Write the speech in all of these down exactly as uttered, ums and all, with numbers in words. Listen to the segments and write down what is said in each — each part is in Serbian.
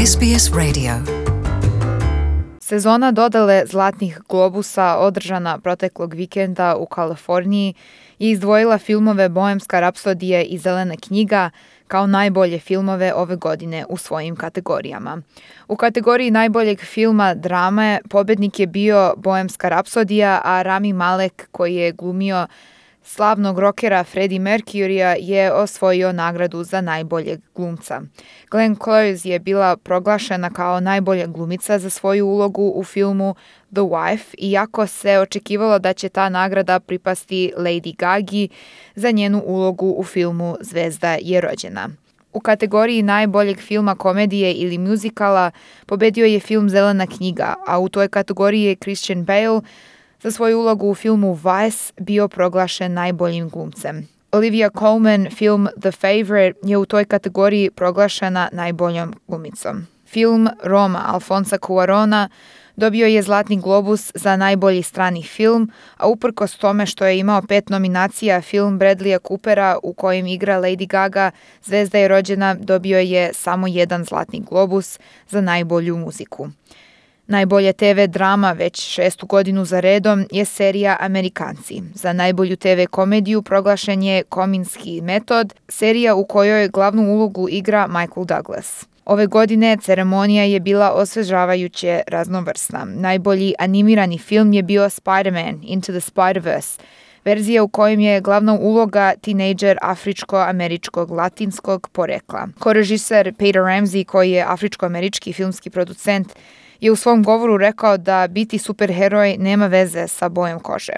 S B S Radio. Sezona dodele Zlatnih globusa održana proteklog vikenda u Kaliforniji je izdvojila filmove Bohemska rapsodija i Zelena knjiga kao najbolje filmove ove godine u svojim kategorijama. U kategoriji najboljeg filma drame pobednik je bio Bohemska rapsodija, a Rami Malek, koji je glumio slavnog rokera Freddie Mercurya, je osvojio nagradu za najboljeg glumca. Glenn Close je bila proglašena kao najbolja glumica za svoju ulogu u filmu The Wife, iako se očekivalo da će ta nagrada pripasti Lady Gagi za njenu ulogu u filmu Zvezda je rođena. U kategoriji najboljeg filma komedije ili muzikala pobedio je film Zelena knjiga, a u toj kategoriji je Christian Bale za svoju ulogu u filmu Vice bio proglašen najboljim glumcem. Olivia Colman, film The Favourite, je u toj kategoriji proglašena najboljom glumicom. Film Roma Alfonsa Cuarona dobio je Zlatni globus za najbolji strani film, a uprkos tome što je imao pet nominacija, film Bradleya Coopera u kojem igra Lady Gaga, Zvezda je rođena, dobio je samo jedan Zlatni globus za najbolju muziku. Najbolja te ve drama već šestu godinu za redom je serija Amerikanci. Za najbolju te ve komediju proglašen je Kominski metod, serija u kojoj glavnu ulogu igra Michael Douglas. Ove godine ceremonija je bila osvežavajuće raznovrsna. Najbolji animirani film je bio Spider-Man Into the Spider-Verse, verzija u kojem je glavna uloga tinejdžer afričko-američkog latinskog porekla. Korežiser Peter Ramsey, koji je afričko-američki filmski producent, je u svom govoru rekao da biti superheroj nema veze sa bojom kože.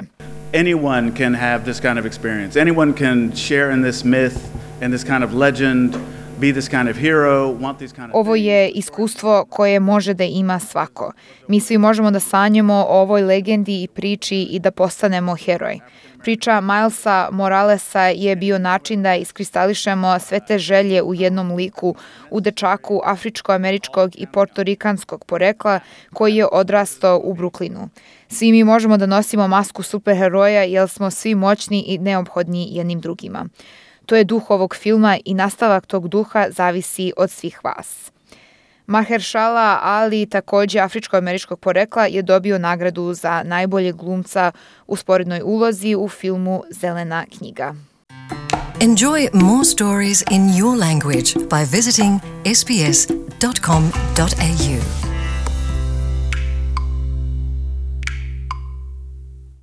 Anyone can have this kind of experience. Anyone can share in this myth and this kind of legend, be this kind of hero, want these kind of Ovo je iskustvo koje može da ima svako. Mi svi možemo da sanjamo o ovoj legendi i priči i da postanemo heroj. Priča Milesa Moralesa je bio način da iskristališemo sve te želje u jednom liku, u dečaku afričko-američkog i portorikanskog porekla koji je odrastao u Brooklynu. Svi mi možemo da nosimo masku superheroja jer smo svi moćni i neophodni jednim drugima. To je duh ovog filma i nastavak tog duha zavisi od svih vas. Mahershala Ali, također afričko-američkog porekla, je dobio nagradu za najboljeg glumca u sporednoj ulozi u filmu Zelena knjiga. Enjoy more stories in your language by visiting s b s dot com dot a u.